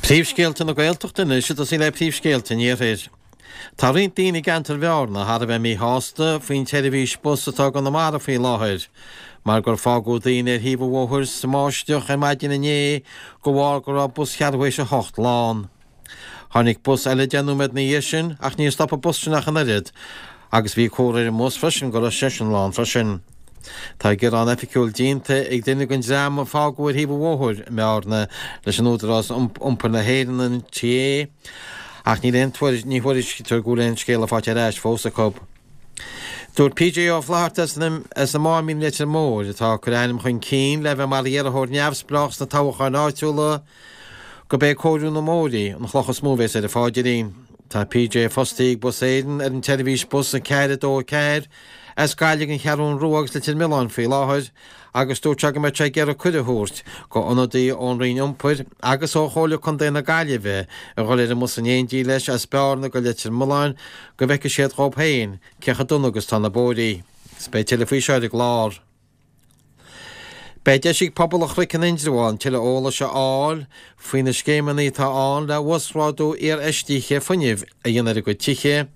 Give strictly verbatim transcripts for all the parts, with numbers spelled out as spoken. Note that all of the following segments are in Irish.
Príomhscéalta na Gaeltachta anois ag tosaí le príomhscéalta an Iarthair. Tá roinnt daoine i gceantar Bhearna thar a bheith míshásta faoin tseirbhís bus atá i gConamara faoi láthair, mar gur fágadh daoine ar thaobh an bhóthair sa mbáisteach ar maidin inné de bharr go raibh bus cheathrú théis a hocht lán. Tháinig bus eile deich nóiméad ina dhiaidh sin ach níor stop an bus sin ach an oiread agus bhí comhartha ar an mbus freisin go raibh seisean lán freisin. Tá gearán oifigiúil déanta ag duine den dream a fágadh ar thaobh an bhóthair i mBearna leis an Údarás Iompair na hÉireann, an NTA, ach níl aon tuairisc, ní thuairiscítear go bhfuil aon scéala faighte ar ais fós acu. Dúirt PJ Ó Flatharta as an Máimín i Leitir Móir, atá ag cur a ainm chun cinn le bheith mar iarrthóir neamhspleách sna toghcháin áitiúla, gurb é cóiriú na mbóithrí an chloch is mó a bhéas ar a pháidrín. Tá PJ fostaithe ag Bus Éireann ar an tseirbhís bus a ceathair a dó a ceathair as Gaillimh don Cheathrún Rua agus Leitir Mealláin faoi láthair agus dúirt sé go mbeadh sé ag iarraidh cuireadh a thabhairt go ionadaí ón Roinn Iompair agus ó Chomhairle Contae na Gaillimhe a dhul ar an mbus in éindí leis as Bearna go Leitir Mealláin go bhfeicfidh siad dhób féin cé chomh dona agus tá na bóithrí. Is beidh tuilleadh faoi seo ar an gclár. Beidh deis ag pobal an Chnoic in Indreabhán tuilleadh eolais a fháil faoi na scéimeanna atá ann le uasghrádú iarfheistithe fuinnimh a dhéanamh ar a gcuid tithe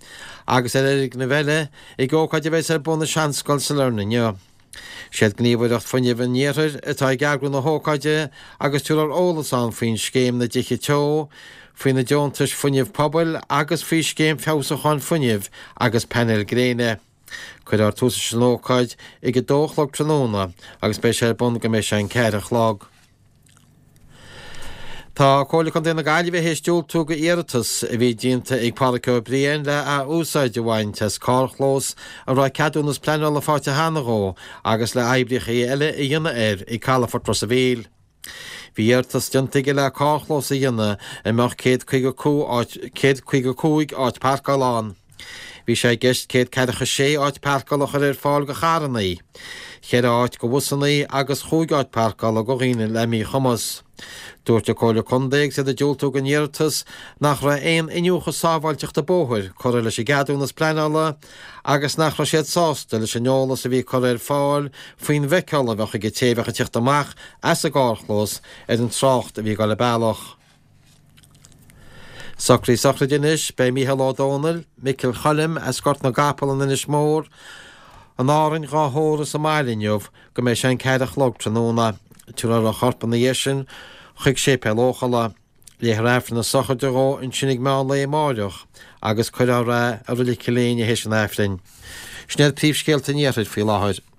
agus ar fhoirgnimh eile ag ócáid a bheas ar bun i Seanscoil Sailearna inniu. Siad Gníomhaireacht Fuinnimh an Iarthair atá ag eagrú na hócáide agus tabharfar eolas ann faoin scéim na dTithe Teo, faoi na deontais fuinnimh pobail agus faoi scéim feabhsúcháin fuinnimh agus painéil gréine. Cuirfear tús leis an ócáid ag a dó a chlog tráthnóna agus beidh sé ar bun go mbeidh sé an ceathair a chlog. Tá Comhairle Contae na Gaillimhe théis diúltú go iarratas a bhí déanta ag Pádraic Ó Briain le ath-úsáid a bhaint as carrchlós a raibh ceadúnas pleanála faighte cheana dhó agus le oibríocha eile a dhéanamh air ag Calafort Ros a' Mhíl. Bhí iarratas déanta aige le carrchlós a dhéanamh a mbeadh céad caoga céad caoga cúig áit páirceála ann. Bhí sé i gceist céad ceathracha sé áit páirceála a chur ar fáil go charrannaí, cheithre áit go bhusannaí agus chúig áit páirceála go dhaoine le míchumas. Dúirt an Comhairle Contae agus iad ag diúltú don iarratas nach raibh aon iniúchadh sábháilteachta bóthair curtha leis an gceadúnas pleanála agus nach raibh siad sásta leis an eolas a bhí curtha ar fáil faoin bhfeiceáil a bheadh ag an té a bheadh ag teacht amach as an gcarrchlós ar an trácht a bhí ag dul an bealach. Socruithe sochraide anois, beidh Mícheál Ó Dónaill, Micil Choilm, as Gort na gCapall in Inis Mór, in Árainn dhá thórramh sa mbaile inniu go mbeidh sé an ceathair a chlog tráthnóna. Tabharfar a chorp ina dhiaidh sin chuig Séipéal Eochalla. Léifear Aifreann na sochraide dhó ansin ag meán lae amáireach agus cuirfear é i Reilig Chill Éinne théis an Aifrinn. Sin iad príomhscéalta an Iarthair faoi láthair.